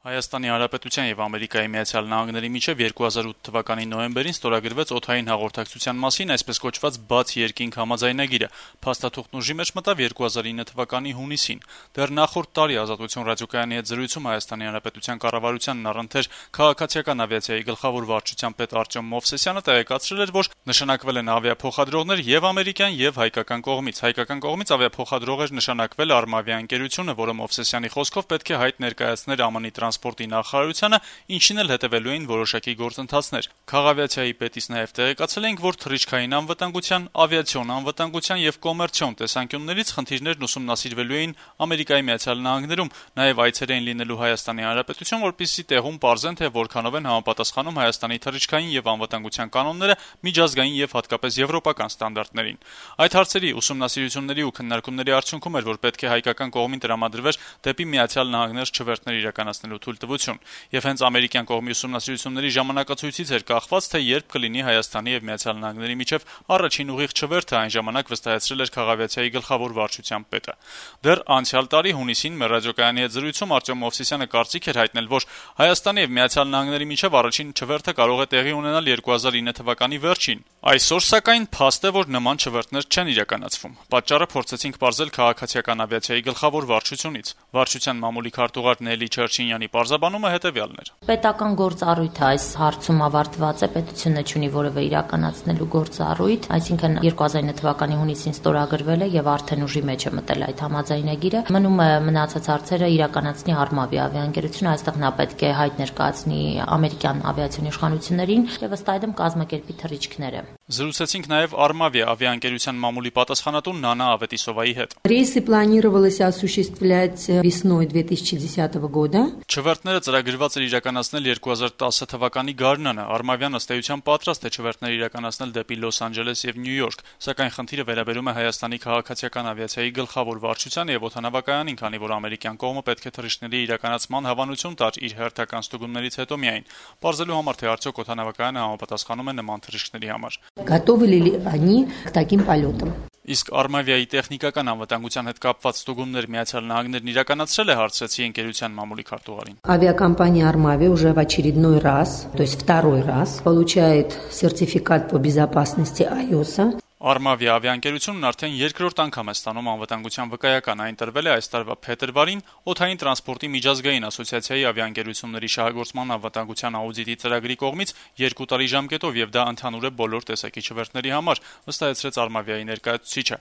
Հայաստանի Հանրապետության եւ Ամերիկայի Միացյալ Նահանգների միջեւ 2008 թվականի նոյեմբերին ստորագրվեց օդային հաղորդակցության մասին այսպես կոչված բաց երկինք համաձայնագիրը։ Փաստաթուղթն ուժի մեջ մտավ 2009 թվականի հունիսին։ Դեռ նախորդ տարի Ազատություն ռադիոկայանի հետ զրույցում Հայաստանի Հանրապետության կառավարությանն առընթեր քաղաքացիական ավիացիայի գլխավոր վարչության պետ Արտյոմ Մովսեսյանը տեղեկացրել էր, որ նշանակվել են ավիափոխադրողներ եւ ամերիկյան եւ հայկական կողմից։ Հայկական կողմից ավիափոխադրող էր նշանակվել Արմավիա ընկերությունը, որը Մովսեսյանի խոսքով պետք է հայտ ներկայացներ ԱՄՆ-ի տրանսպորտի նախարարությանը, ինչին էլ հետևելու էին որոշակի գործընթացներ։ Քաղավիացիայի պետից նաև տեղեկացել ենք, որ թռիչքային անվտանգության, ավիացիոն անվտանգության եւ կոմերցիոն տեսանկյուններից խնդիրներն ուսումնասիրվելու էին Ամերիկայի Միացյալ Նահանգներում, նաև այցեր էին լինելու Հայաստանի Հանրապետություն, որպեսզի տեղում պարզեն, թե որքանով են համապատասխանում Հայաստանի թռիչքային եւ անվտանգության կանոնները միջազգային եւ հատկապես եվրոպական ստանդարտներին։ Այդ հարցերի ուսումնասիրությունների ու քննարկումների արդյունքում էր, որ պետք է հայկական կողմին տրամադրվեր դեպի Միացյալ Նահանգներ չվերթներ իրականացնելու թույլտվություն, եւ հենց ամերիկյան կողմի ուսումնասիրությունների ժամանակացույցից էր կախված, թե երբ կլինի Հայաստանի եւ Միացյալ Նահանգների միջեւ առաջին ուղիղ չվերթը, այն ժամանակ վստահեցրել էր քաղավիացիայի գլխավոր վարչության պետը։ Դեռ անցյալ տարի հունիսին մեր ռադիոկայանի հետ զրույցում Արտյոմ Մովսեսյանը կարծիք էր հայտնել, որ Հայաստանի եւ Միացյալ Նահանգների միջեւ առաջին չվերթը կարող է տեղի ունենալ 2009 թվականի վերջին։ Այսօր սակայն փաստ է, որ նման չվերթներ չեն իրականացվում։ Պատճառը փորձեցինք պարզել քաղաքացիական ավիացիայի գլխավոր վարչությունից։ Վարչության մամուլի քարտուղար Նելի Չերչինյանի պարզաբանումը հետևյալն էր. Պետական գործառույթը այս հարցում ավարտված է, պետությունը չունի որևէ իրականացնելու գործառույթ, այսինքն 2009 թվականի հունիսին ստորագրվել է եւ արդեն ուժի մեջ է մտել այդ համաձայնագիրը։ Մնում է մնացած հարցերը իրականացնի Արմավիա ավիաընկերությունը, այստեղ նա պետք է հայտ ներկայացնի ամերիկյան ավիացիոն իշխանություններին եւ ըստ այդմ կազմակերպի թռիչքները։ Զրուցեցինք նաև Արմավիա ավիաընկերության մամուլի պատասխանատու Նանա Ավետիսովայի հետ։ Рейсы планировалось осуществлять весной 2010 года. Չվերթները ծրագրված էր իրականացնել 2010 թվականի գարնանը։ Արմավյան ըստ էության պատրաստ է չվերթներ իրականացնել դեպի Լոս Անջելես եւ Նյու Յորք, սակայն խնդիրը վերաբերում է Հայաստանի քաղաքացիական ավիացիայի գլխավոր վարչությանը եւ օդանավակայանին, քանի որ ամերիկյան կողմը պետք է թռիչքների իրականացման հավանություն տար իր հերթական ստուգումներից հետո միայն, պարզելու համար թե արդյոք օդանավակայանը համապատասխանում է նման թռիչքների համար։ Готовы ли они к таким полетам? Իսկ Արմավիայի տեխնիկական անվտանգության հետ կապված ստուգումներ Միացյալ Նահանգներն իրականացրել է, հարցրեցի ընկերության մամուլի քարտուղարին։ Авиакомпания «Армавиа» уже в очередной раз, то есть второй раз, получает сертификат по безопасности iOS. Արմավիա ավիաընկերությունն արդեն երկրորդ անգամ է ստանում անվտանգության վկայական, այն տրվել է այս տարվա փետրվարին օդային տրանսպորտի միջազգային ասոցիացիայի ավիաընկերությունների շահագործման անվտանգության աուդիտի ծրագրի կողմից 2 տարի ժամկետով եւ դա ընդհանուր է բոլոր տեսակի չվերթների համար, վստահեցրեց Արմավիայի ներկայացուցիչը։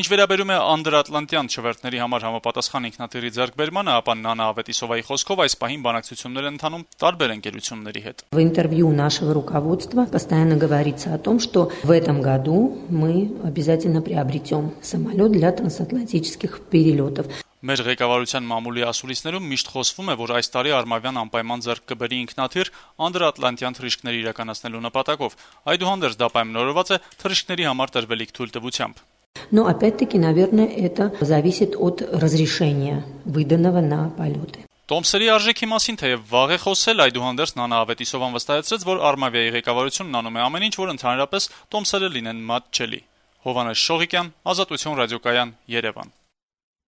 Ինչ վերաբերում է անդրատլանտյան չվերթների համար համապատասխան ինքնաթիռի ձեռքբերմանը, ապա Նանա Ավետիսովայի խոսքով այս պահին բանակցություններ են ընթանում տարբեր ընկերությունների հետ։ В интервью нашего руководства постоянно говорится о том, что в этом году мы обязательно приобретем самолет для трансатлантических перелетов. Մեր ղեկավարության մամուլի ասուլիսներում միշտ խոսվում է, որ այս տարի Արմավյան անպայման ձեռք կբերի ինքնաթիռ անդրատլանտյան թռիչքներ իրականացնելու նպատակով։ Այդուհանդերձ դա պայմանավորված է թռիչքների համար տրվելիք թույլտվությամբ։ Но опять-таки, наверное, это зависит от разрешения, выданного на полеты. Տոմսերի արժեքի մասին թեև վաղ է խոսել, այդուհանդերձ Նանա Ավետիսովան վստահեցրեց, որ Արմավիայի ղեկավարությունն անում է ամեն ինչ, որ ընդհանրապես տոմսերը լինեն մատչելի։ Հովհաննես Շողիկյան, Ազատություն ռադիոկայան, Երևան։